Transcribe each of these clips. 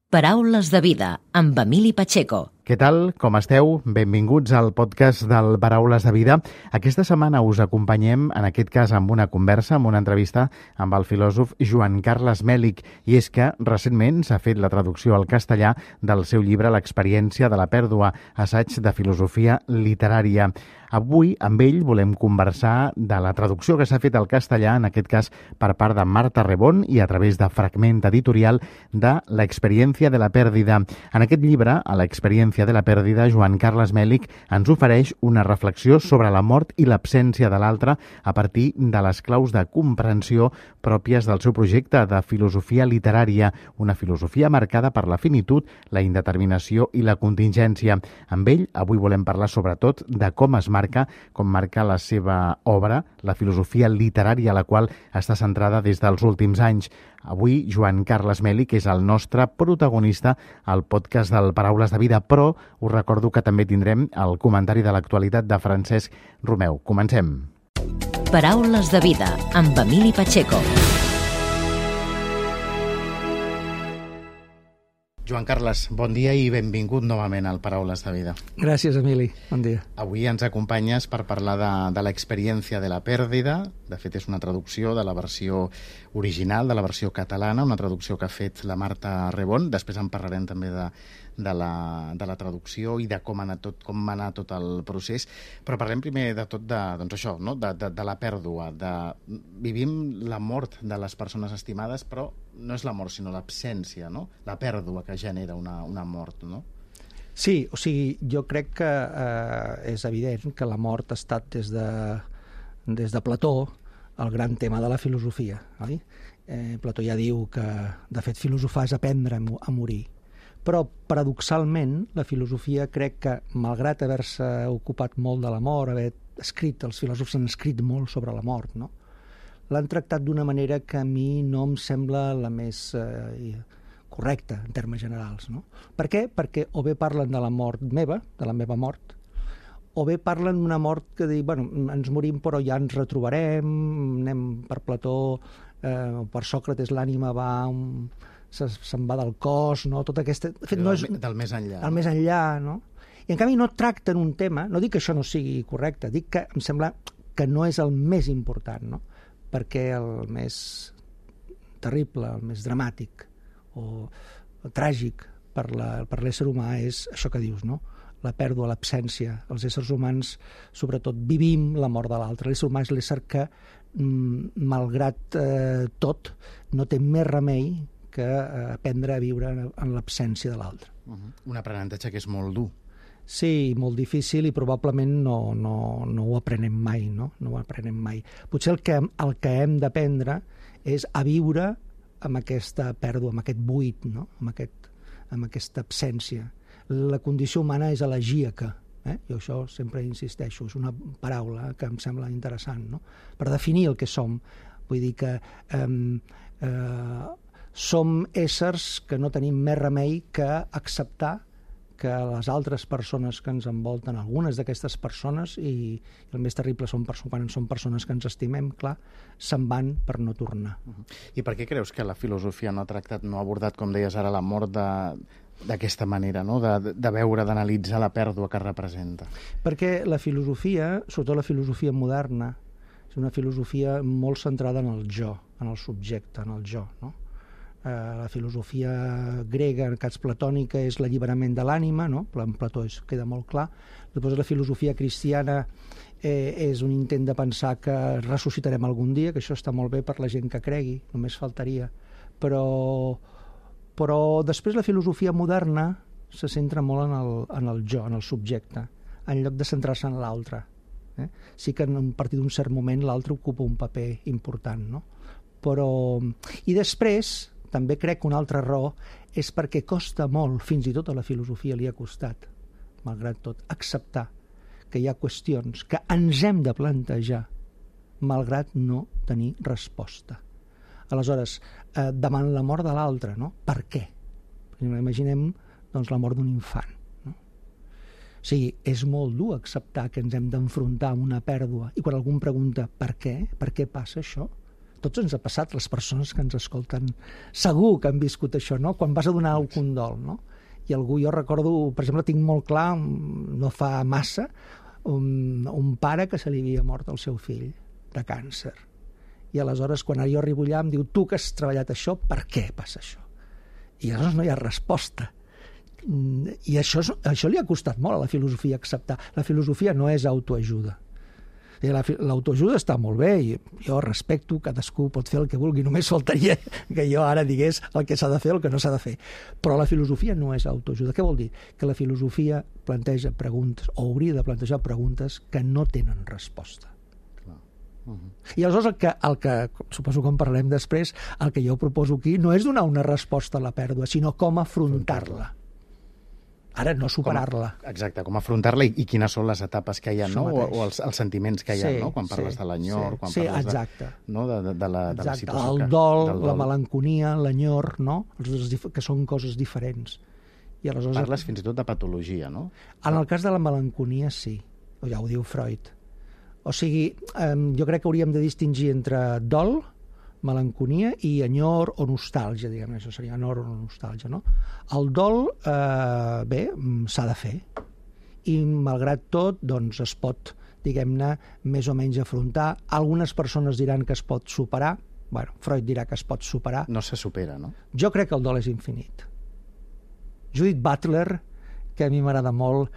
Paraules de vida, amb Emili Pacheco. Què tal? Com esteu? Benvinguts al podcast del Paraules de vida. Aquesta setmana us acompanyem, en aquest cas amb una conversa, amb una entrevista amb el filòsof Joan Carles Mèlich. I és que recentment s'ha fet la traducció al castellà del seu llibre L'experiència de la pèrdua, assaig de filosofia literària. Avui, amb ell, volem conversar de la traducció que s'ha fet al castellà, en aquest cas per part de Marta Rebón i a través de Fragment Editorial, de L'experiència de la pèrdida. En aquest llibre, a L'experiència de la pèrdida, Joan Carles Mèlich ens ofereix una reflexió sobre la mort i l'absència de l'altre a partir de les claus de comprensió pròpies del seu projecte de filosofia literària, una filosofia marcada per la finitud, la indeterminació i la contingència. Amb ell, avui volem parlar sobretot de com marca la seva obra, la filosofia literària a la qual està centrada des dels últims anys. Avui, Joan Carles Mèlich és el nostre protagonista al podcast del Paraules de Vida, però us recordo que també tindrem el comentari de l'actualitat de Francesc Romeu. Comencem. Paraules de vida, amb Emili Pacheco. Joan Carles, bon dia i benvingut novament al Paraules de Vida. Gràcies, Emili. Bon dia. Avui ens acompanyes per parlar de l'experiència de la pèrdida. De fet, és una traducció de la versió original, de la versió catalana, una traducció que ha fet la Marta Rebón. Després en parlarem també de la traducció i de com va anar tot el procés. Però parlem primer de tot de la pèrdua. Vivim la mort de les persones estimades, però no és la mort, sinó l'absència, no? La pèrdua que genera una mort, no? Sí, o sigui, jo crec que és evident que la mort ha estat des de Plató el gran tema de la filosofia, oi? Plató ja diu que, de fet, filosofar és aprendre a morir. Però, paradoxalment, la filosofia crec que, malgrat haver-se ocupat molt de la mort, els filòsofs han escrit molt sobre la mort, no? L'han tractat d'una manera que a mi no em sembla la més correcta, en termes generals, no? Per què? Perquè o bé parlen de la mort meva, de la meva mort, o bé parlen d'una mort que diu, bueno, ens morim però ja ens retrobarem, anem per Plató, per Sòcrates l'ànima se'n va del cos, no? Tot aquesta... De fet, no és del més enllà. El més enllà, no? I en canvi no tracten un tema, no dic que això no sigui correcte, dic que em sembla que no és el més important, no? Perquè el més terrible, el més dramàtic o tràgic per l'ésser humà és això que dius, no? La pèrdua, l'absència. Els éssers humans, sobretot, vivim la mort de l'altre. L'ésser humà és l'ésser que, malgrat tot, no té més remei que aprendre a viure en l'absència de l'altre. Un aprenentatge que és molt dur. Sí, molt difícil i probablement no ho aprenem mai, no? No ho aprenem mai. Potser el que hem d'aprendre és a viure amb aquesta pèrdua, amb aquest buit, no? Amb aquesta absència. La condició humana és elegíaca. Jo això sempre insisteixo, és una paraula que em sembla interessant, no? Per definir el que som. Vull dir que som éssers que no tenim més remei que acceptar que les altres persones que ens envolten, algunes d'aquestes persones, i el més terrible quan són persones que ens estimem, clar, se'n van per no tornar. I per què creus que la filosofia no ha abordat, com deies ara, la mort d'aquesta manera, no? De veure, d'analitzar la pèrdua que representa? Perquè la filosofia, sobretot la filosofia moderna, és una filosofia molt centrada en el jo, en el subjecte, en el jo, no? La filosofia grega, en el cas platònica, és l'alliberament de l'ànima, no? En Plató queda molt clar. Després la filosofia cristiana és un intent de pensar que ressuscitarem algun dia, que això està molt bé per la gent que cregui, només faltaria. Però després la filosofia moderna se centra molt en el jo, en el subjecte, en lloc de centrar-se en l'altre. Sí que a partir d'un cert moment l'altre ocupa un paper important, no? I després també crec que una altra raó és perquè costa molt, fins i tot a la filosofia li ha costat, malgrat tot, acceptar que hi ha qüestions que ens hem de plantejar malgrat no tenir resposta. Aleshores, davant la mort de l'altre, no? Per què? Imaginem la mort d'un infant. No? O sigui, és molt dur acceptar que ens hem d'enfrontar amb una pèrdua i quan algú em pregunta per què passa això, Tots ens ha passat, les persones que ens escolten, segur que han viscut això, no? Quan vas a donar el condol, no? I algú, jo recordo, per exemple, tinc molt clar, no fa massa, un pare que se li havia mort el seu fill de càncer. I aleshores, quan jo arribo allà, em diu, tu que has treballat això, per què passa això? I aleshores no hi ha resposta. I això li ha costat molt a la filosofia acceptar. La filosofia no és autoajuda. L'autoajuda està molt bé i jo respecto, cadascú pot fer el que vulgui, només faltaria que jo ara digués el que s'ha de fer o el que no s'ha de fer. Però la filosofia no és autoajuda. Què vol dir? Que la filosofia planteja preguntes, o hauria de plantejar preguntes que no tenen resposta. I aleshores el que suposo que en parlem després, el que jo proposo aquí no és donar una resposta a la pèrdua, sinó com afrontar-la. Ara no superar-la. Exacte, com afrontar-la i quines són les etapes que hi ha, no? O els sentiments que hi ha, no? Quan parles de l'enyor, quan parles de la situació. El dol, la melanconia, l'enyor, no? Que són coses diferents. I aleshores... Parles fins i tot de patologia, no? En el cas de la melanconia, sí. Ja ho diu Freud. O sigui, jo crec que hauríem de distingir entre dol, melanconia i enyor o nostàlgia, diguem, això seria enyor o nostàlgia, no? El dol, bé, s'ha de fer, i malgrat tot, doncs es pot, diguem-ne, més o menys afrontar. Algunes persones diran que es pot superar, bueno, Freud dirà que es pot superar. No se supera, no? Jo crec que el dol és infinit. Judith Butler, que a mi m'agrada molt,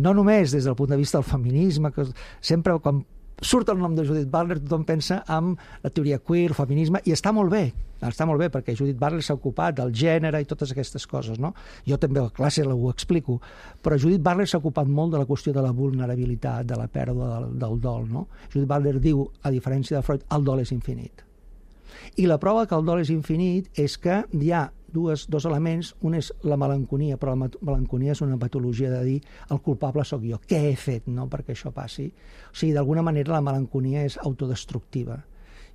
no només des del punt de vista del feminisme, que sempre quan surt el nom de Judith Butler, tothom pensa en la teoria queer, el feminisme, i està molt bé, perquè Judith Butler s'ha ocupat del gènere i totes aquestes coses, no? Jo també a la classe ho explico, però Judith Butler s'ha ocupat molt de la qüestió de la vulnerabilitat, de la pèrdua del dol, no? Judith Butler diu, a diferència de Freud, el dol és infinit. I la prova que el dol és infinit és que hi ha dos elements. Un és la melanconia, però la melanconia és una patologia de dir el culpable sóc jo, què he fet, no?, perquè això passi. O sigui, d'alguna manera la melanconia és autodestructiva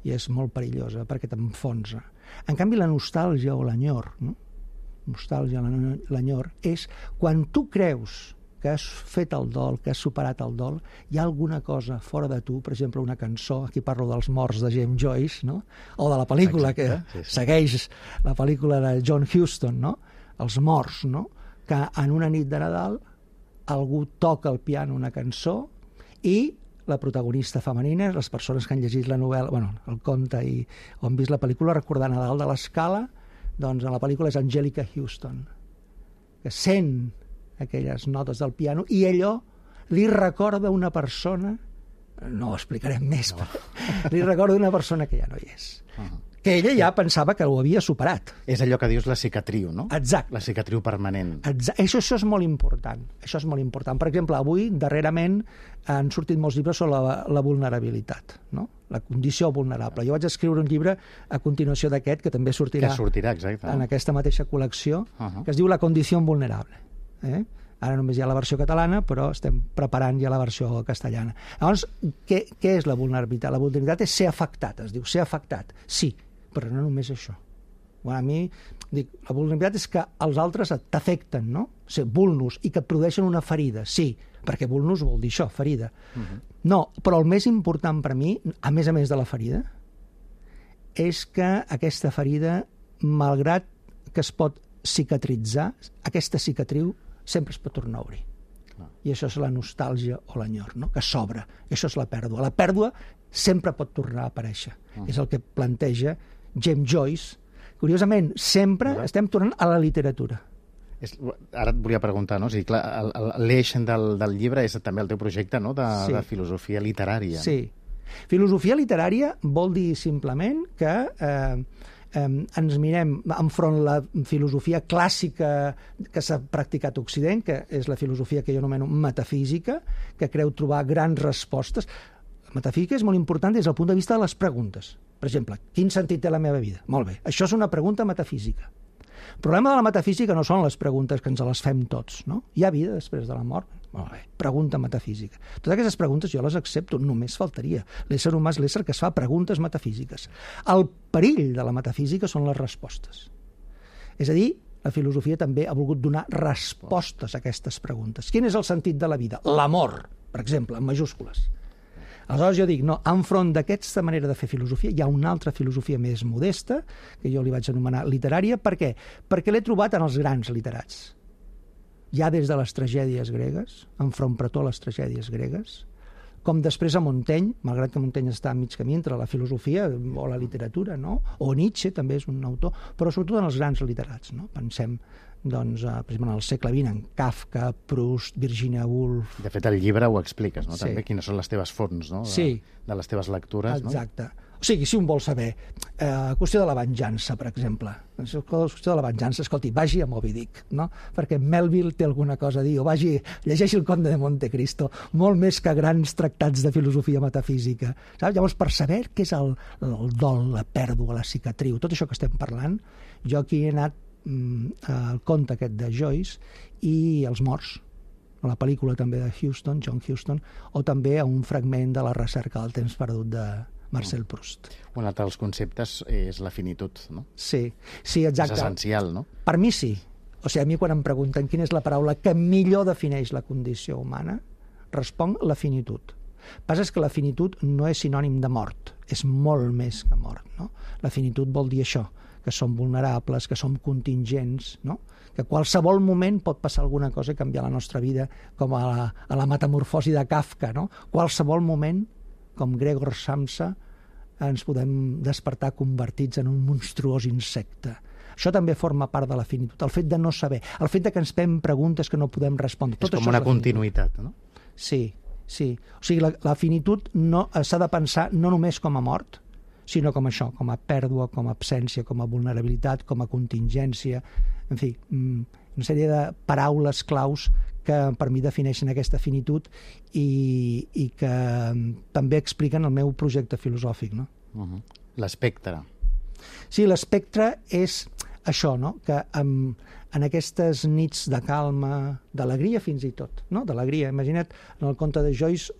i és molt perillosa perquè t'enfonsa. En canvi, la nostàlgia o l'enyor, no? Nostàlgia, l'enyor, és quan tu creus que has fet el dol, que has superat el dol, hi ha alguna cosa fora de tu, per exemple, una cançó, aquí parlo dels morts de James Joyce, no? O de la pel·lícula que segueix la pel·lícula de John Huston, no? Els morts, no? Que en una nit de Nadal algú toca al piano una cançó i la protagonista femenina, les persones que han llegit la novel·la, bueno, el conte o han vist la pel·lícula, recordant a dalt de l'escala, doncs a la pel·lícula és Angelica Houston, que sent aquelles notes del piano, i allò li recorda una persona, no ho explicarem més, li recorda una persona que ja no hi és. Que ella ja pensava que ho havia superat. És allò que dius la cicatriu, no? Exacte. La cicatriu permanent. Això és molt important. Això és molt important. Per exemple, avui, darrerament, han sortit molts llibres sobre la vulnerabilitat, no? La condició vulnerable. Jo vaig escriure un llibre a continuació d'aquest, que també sortirà exacte, en aquesta mateixa col·lecció, que es diu La condició vulnerable. Ara només hi ha la versió catalana, però estem preparant ja la versió castellana. Llavors, què és la vulnerabilitat? La vulnerabilitat és ser afectat, es diu, ser afectat. Sí, però no només això. Bueno, a mi, dic, la vulnerabilitat és que els altres t'afecten, no? Ser vulnus, i que et produeixen una ferida, sí, perquè vulnus vol dir això, ferida. No, però el més important per mi, a més de la ferida, és que aquesta ferida, malgrat que es pot cicatritzar, aquesta cicatriu sempre es pot tornar a obrir. I això és la nostàlgia o l'enyor, no? Que s'obre. Això és la pèrdua. La pèrdua sempre pot tornar a aparèixer. És el que planteja James Joyce. Curiosament, sempre estem tornant a la literatura. Ara et volia preguntar, no? O sigui, clar, l'eix del llibre és també el teu projecte, no?, de filosofia literària. Sí. Filosofia literària vol dir simplement que ens mirem enfront la filosofia clàssica que s'ha practicat a Occident, que és la filosofia que jo anomeno metafísica, que creu trobar grans respostes. La metafísica és molt important des del punt de vista de les preguntes. Per exemple, quin sentit té la meva vida? Molt bé, això és una pregunta metafísica. El problema de la metafísica no són les preguntes que ens les fem tots, no? Hi ha vida després de la mort? Molt bé, pregunta metafísica. Totes aquestes preguntes jo les accepto, només faltaria. L'ésser humà és l'ésser que es fa preguntes metafísiques. El perill de la metafísica són les respostes. És a dir, la filosofia també ha volgut donar respostes a aquestes preguntes. Quin és el sentit de la vida? L'amor, per exemple, en majúscules. Aleshores jo dic, no, enfront d'aquesta manera de fer filosofia hi ha una altra filosofia més modesta, que jo li vaig anomenar literària. Per què? Perquè l'he trobat en els grans literats. Ja des de les tragèdies gregues, enfront pretó a les tragèdies gregues, com després a Montaigne, malgrat que Montaigne està a mig camí entre la filosofia o la literatura, no? O Nietzsche també és un autor, però sobretot en els grans literats, no? Pensem, doncs, per exemple, en el segle XX, en Kafka, Proust, Virginia Woolf... De fet, al llibre ho expliques, no? Sí. També quines són les teves fonts, no? Sí. De les teves lectures, no? Exacte. O sigui, si un vol saber, qüestió de la venjança, per exemple. Qüestió de la venjança, escolti, vagi a Moby Dick, no? Perquè Melville té alguna cosa a dir, o llegeixi el Conde de Montecristo, molt més que grans tractats de filosofia metafísica. Saps? Llavors, per saber què és el dol, la pèrdua, la cicatriu, tot això que estem parlant, jo aquí he anat al conte aquest de Joyce i els morts, a la pel·lícula també de Huston, John Huston, o també a un fragment de La recerca del temps perdut de Marcel Proust. Un altre dels conceptes és la finitud, no? Sí, exacte. És essencial, no? Per mi sí. O sigui, a mi quan em pregunten quina és la paraula que millor defineix la condició humana, responc la finitud. El que passa és que la finitud no és sinònim de mort, és molt més que mort, no? La finitud vol dir això, que som vulnerables, que som contingents, no? Que qualsevol moment pot passar alguna cosa i canviar la nostra vida, com a la metamorfosi de Kafka, no? Qualsevol moment, com Gregor Samsa, ens podem despertar convertits en un monstruós insecte. Això també forma part de la finitud, el fet de no saber, el fet de que ens fem preguntes que no podem respondre. És com una continuïtat, no? Sí. O sigui, la finitud s'ha de pensar no només com a mort, sinó com això, com a pèrdua, com a absència, com a vulnerabilitat, com a contingència, en fi, una sèrie de paraules claus que per mi defineixen aquesta finitud i que també expliquen el meu projecte filosòfic, no? L'espectre. Sí, l'espectre és això, no? Que en aquestes nits de calma, d'alegria fins i tot, no? D'alegria. Imagina't en el conte de Joyce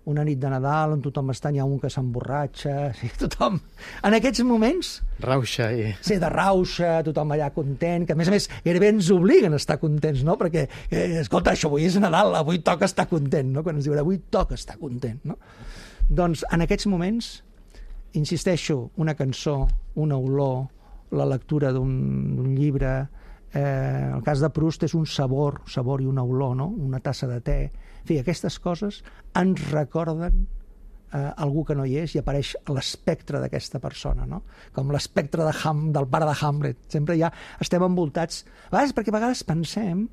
una nit de Nadal on tothom està, hi ha un que s'emborratxa, tothom... En aquests moments... Rauxa i... Sí, de rauxa, tothom allà content, que a més gairebé ens obliguen a estar contents, no? Perquè, escolta, això avui és Nadal, avui toca estar content, no? Quan ens diuen avui toca estar content, no? Doncs en aquests moments, insisteixo, una cançó, una olor, la lectura d'un llibre, el cas de Proust és un sabor i una olor, no? Una tassa de te. En fi, aquestes coses ens recorden algú que no hi és i apareix l'espectre d'aquesta persona, no? Com l'espectre del pare de Hamlet. Sempre ja estem envoltats... Perquè a vegades pensem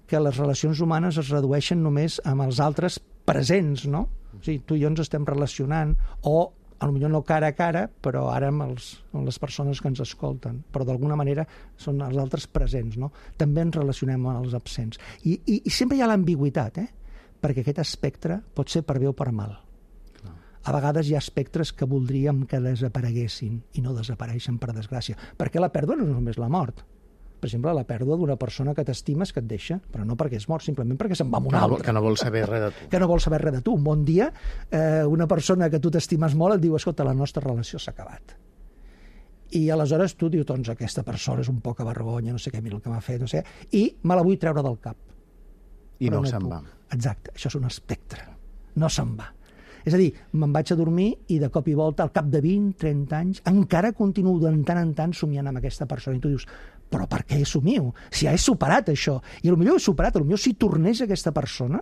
que les relacions humanes es redueixen només amb els altres presents, no? O sigui, tu i jo ens estem relacionant, o potser no cara a cara, però ara amb les persones que ens escolten. Però d'alguna manera són els altres presents, no? També ens relacionem amb els absents. I sempre hi ha l'ambigüitat, perquè aquest espectre pot ser per bé o per mal. A vegades hi ha espectres que voldríem que desapareguessin i no desapareixen, per desgràcia. Perquè la pèrdua no és només la mort. Per exemple, la pèrdua d'una persona que t'estimes que et deixa, però no perquè és mort, simplement perquè se'n va amb una altra. Que no vol saber res de tu. Que no vol saber res de tu. Un bon dia, una persona que tu t'estimes molt et diu, escolta, la nostra relació s'ha acabat. I aleshores tu dius, doncs aquesta persona és un poca vergonya, no sé què, mira el que m'ha fet, no sé, i me la vull treure del cap. I no se'n va. Exacte, això és un espectre. No se'n va. És a dir, me'n vaig a dormir i de cop i volta, al cap de 20, 30 anys, encara continuo de tant en tant somiant amb aquesta persona. I tu dius, però per què somio? Si ja he superat això. I potser he superat, potser si tornés aquesta persona,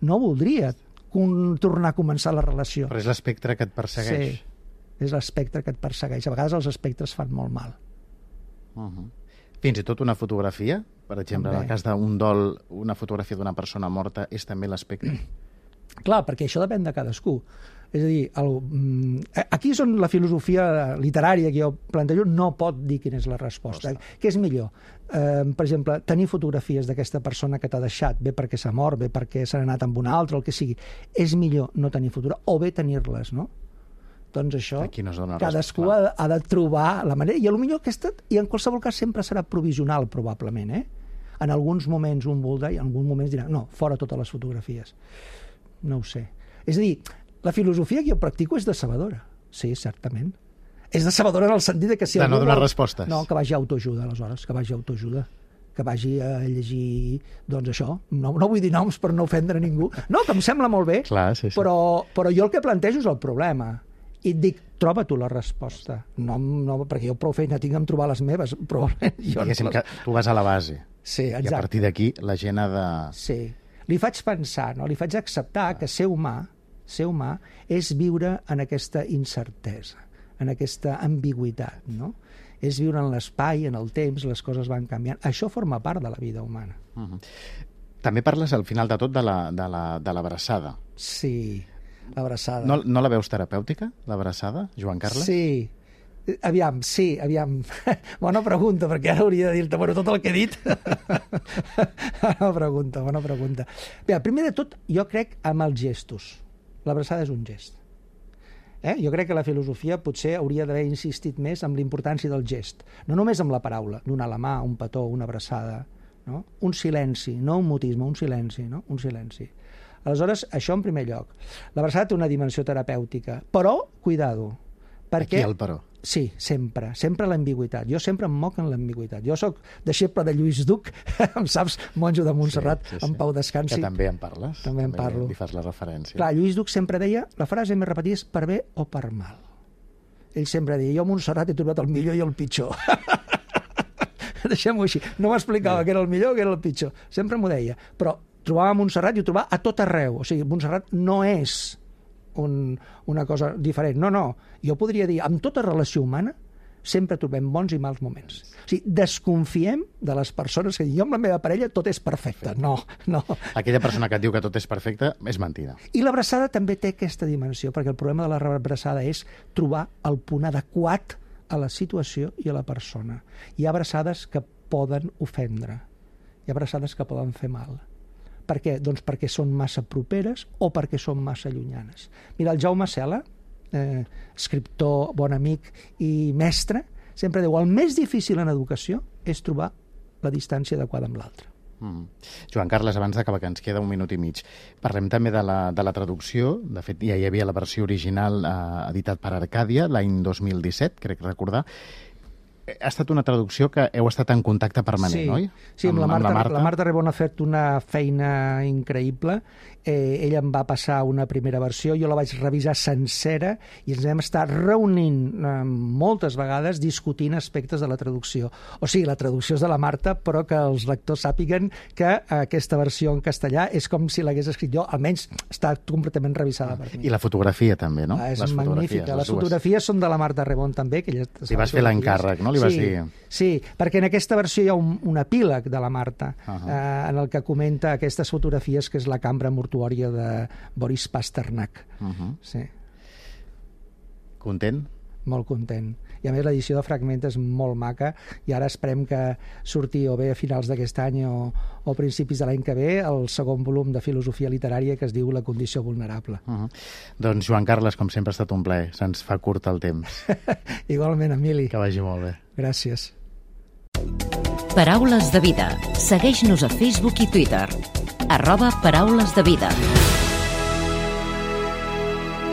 no voldria tornar a començar la relació. Però és l'espectre que et persegueix. Sí, és l'espectre que et persegueix. A vegades els espectres fan molt mal. Fins i tot una fotografia, per exemple, en el cas d'un dol, una fotografia d'una persona morta és també l'espectre. Clar, perquè això depèn de cadascú. És a dir, aquí és on la filosofia literària que jo plantejo no pot dir quina és la resposta. Què és millor? Per exemple, tenir fotografies d'aquesta persona que t'ha deixat, bé perquè s'ha mort, bé perquè s'ha anat amb una altra, el que sigui. És millor no tenir fotografies, o bé tenir-les, no? Doncs això, cadascú ha de trobar la manera, i potser aquesta, i en qualsevol cas sempre serà provisional, probablement, En alguns moments un voldrà, i en alguns moments dirà, no, fora totes les fotografies. No ho sé. És a dir, la filosofia que jo practico és decebedora. Sí, certament. És decebedora en el sentit que si de no donar respostes. No, que vagi a autoajuda, aleshores, que vagi a autoajuda. que vagi a llegir, doncs això, no vull dir noms per no ofendre ningú, no, que em sembla molt bé, clar, sí. Però jo el que plantejo és el problema, i et dic, troba tu la resposta, no, perquè jo prou feina tinc en trobar les meves, probablement jo Diguéssim que tu vas a la base, sí, exacte. I a partir d'aquí la gent ha de... Sí, li faig pensar, no? Li faig acceptar que ser humà és viure en aquesta incertesa, en aquesta ambigüitat, no? És viure en l'espai, en el temps, les coses van canviant. Això forma part de la vida humana. També parles al final de tot de l'abraçada. Sí, l'abraçada. No la veus terapèutica, l'abraçada, Joan Carles? Sí. Aviam. Bona pregunta, perquè ara hauria de dir-te, bueno, tot el que he dit. Bona pregunta. Bé, primer de tot, jo crec amb els gestos. L'abraçada és un gest. Jo crec que la filosofia potser hauria d'haver insistit més en la importància del gest. No només amb la paraula, donar la mà, un petó, una abraçada, no? Un silenci, no un mutisme, un silenci, no? Un silenci. Aleshores, això en primer lloc. L'abraçada té una dimensió terapèutica, però, cuidado, perquè... Aquí el però. Sí, sempre l'ambigüitat. Jo sempre em moc en l'ambigüitat. Jo sóc deixeble de Lluís Duc, em saps, monjo de Montserrat, sí. En pau descansi. Que també en parles. També en parlo. Li fas la referència. Clar, Lluís Duc sempre deia, la frase més repetida és per bé o per mal. Ell sempre deia, jo a Montserrat he trobat el millor i el pitjor. Deixem-ho així. No m'explicava què era el millor o què era el pitjor. Sempre m'ho deia. Però trobava Montserrat i ho trobava a tot arreu. O sigui, Montserrat no és una cosa diferent. No. Jo podria dir, amb tota relació humana sempre trobem bons i mals moments. O sigui, desconfiem de les persones que diuen, jo amb la meva parella tot és perfecte. No. Aquella persona que et diu que tot és perfecte és mentida. I l'abraçada també té aquesta dimensió, perquè el problema de la abraçada és trobar el punt adequat a la situació i a la persona. Hi ha abraçades que poden ofendre. Hi ha abraçades que poden fer mal. Per què? Doncs perquè són massa properes o perquè són massa llunyanes. Mira, el Jaume Sela, escriptor, bon amic i mestre, sempre diu, el més difícil en educació és trobar la distància adequada amb l'altre. Joan Carles, abans d'acabar, que ens queda 1 minut i mig, parlem també de la traducció. De fet, ja hi havia la versió original editat per Arcàdia l'any 2017, crec recordar. Ha estat una traducció que heu estat en contacte permanent, oi? Sí, amb la Marta. La Marta Rebon ha fet una feina increïble. Ella em va passar una primera versió, jo la vaig revisar sencera i ens vam estar reunint moltes vegades discutint aspectes de la traducció. O sigui, la traducció és de la Marta, però que els lectors sàpiguen que aquesta versió en castellà és com si l'hagués escrit jo, almenys està completament revisada per mi. I la fotografia també, no? És magnífica. Les fotografies són de la Marta Rebon també. Que li vas fer l'encàrrec, no? Sí, perquè en aquesta versió hi ha un epíleg de la Marta en el que comenta aquestes fotografies que és la cambra mortuòria de Boris Pasternak. Sí. Content? Molt content. I a més l'edició de Fragment és molt maca i ara esperem que surti o bé a finals d'aquest any o principis de l'any que ve el segon volum de filosofia literària que es diu La condició vulnerable. Doncs Joan Carles, com sempre ha estat un plaer. Se'ns fa curt el temps. Igualment, Emili. Que vagi molt bé. Gràcies. Paraules de vida. Segueix-nos a Facebook i Twitter. @Paraules de vida.